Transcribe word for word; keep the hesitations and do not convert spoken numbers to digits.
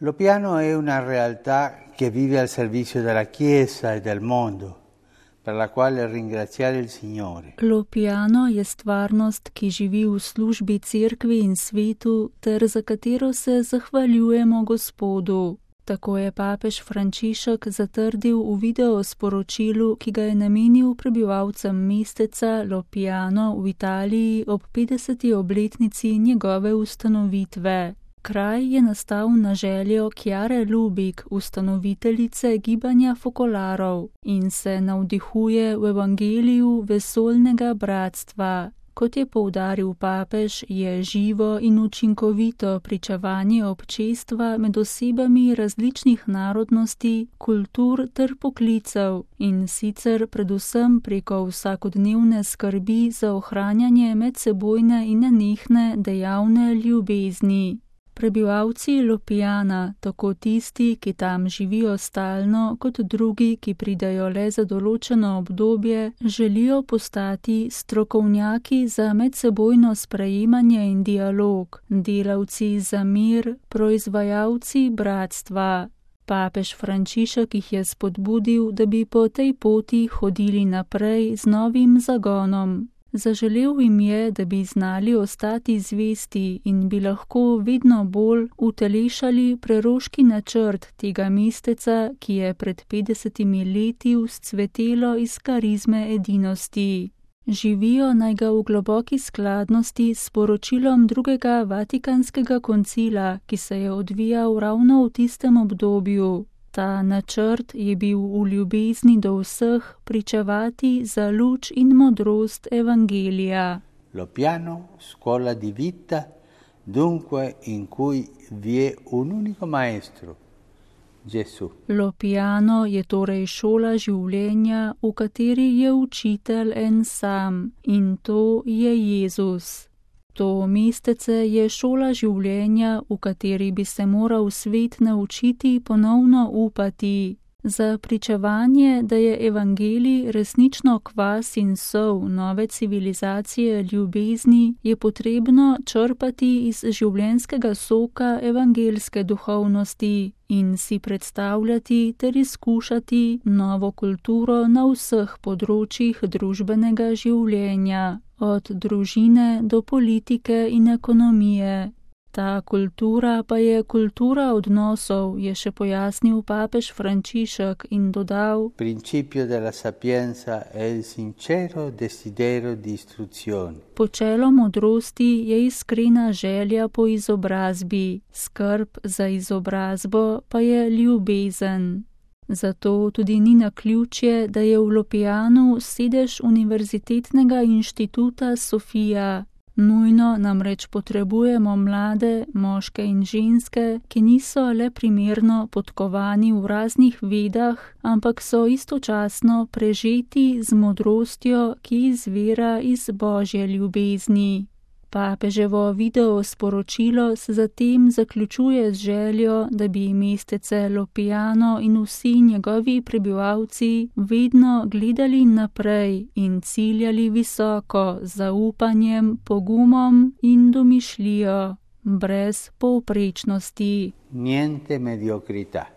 Lo piano è una realtà che vive al servizio della Chiesa e del mondo, per la quale ringraziare il Signore. Lo piano je stvarnost, ki živi v službi cerkvi in svetu, ter za katero se zahvaljujemo Gospodu. Tako je papež Frančišek zatrdil v video sporočilu, ki ga je namenil prebivalcem mesteca Lopiano v Italiji ob petdeseti obletnici njegove ustanovitve. Kraj je nastal na željo Chiare Lubich, ustanoviteljice gibanja Fokolarov, in se navdihuje v evangeliju vesoljnega bratstva. Kot je poudaril papež, je živo in učinkovito pričevanje občestva med osebami različnih narodnosti, kultur ter poklicev, in sicer predvsem preko vsakodnevne skrbi za ohranjanje medsebojne in nenehne dejavne ljubezni. Prebivalci Lopiana, tako tisti, ki tam živijo stalno, kot drugi, ki pridejo le za določeno obdobje, želijo postati strokovnjaki za medsebojno sprejemanje in dialog, delavci za mir, proizvajalci bratstva. Papež Frančišek jih je spodbudil, da bi po tej poti hodili naprej z novim zagonom. Zaželel jim je, da bi znali ostati zvesti in bi lahko vedno bolj utelešali preroški načrt tega mesteca, ki je pred petdesetimi leti vzcvetelo iz karizme edinosti. Živijo naj ga v globoki skladnosti s poročilom drugega Vatikanskega koncila, ki se je odvijal ravno v tistem obdobju. Ta načrt je bil v ljubezni do vseh pričevati za luč in modrost evangelija. Lo piano, scuola di vita, dunque in cui vi è un unico maestro, Gesù. Lo piano je torej šola življenja, v kateri je učitelj en sam, in to je Jezus. To mestece je šola življenja, v kateri bi se moral svet naučiti ponovno upati. Za pričevanje, da je evangelij resnično kvas in sol nove civilizacije ljubezni, je potrebno črpati iz življenjskega soka evangelske duhovnosti in si predstavljati ter izkušati novo kulturo na vseh področjih družbenega življenja, od družine do politike in ekonomije. Ta kultura pa je kultura odnosov, je še pojasnil papež Frančišek in dodal: Principio della sapienza è il sincero desiderio di istruzione. Počelo modrosti je iskrena želja po izobrazbi, skrb za izobrazbo pa je ljubezen. Zato tudi ni naključje, da je v Lopianu sedež Univerzitetnega inštituta Sofia. Nujno namreč potrebujemo mlade, moške in ženske, ki niso le primerno podkovani v raznih vedah, ampak so istočasno prežeti z modrostjo, ki izvira iz Božje ljubezni. Papeževo video sporočilo se zatem zaključuje z željo, da bi mestece Lopiano in vsi njegovi prebivalci vedno gledali naprej in ciljali visoko z zaupanjem, pogumom in domišljijo, brez povprečnosti. Niente mediocrità.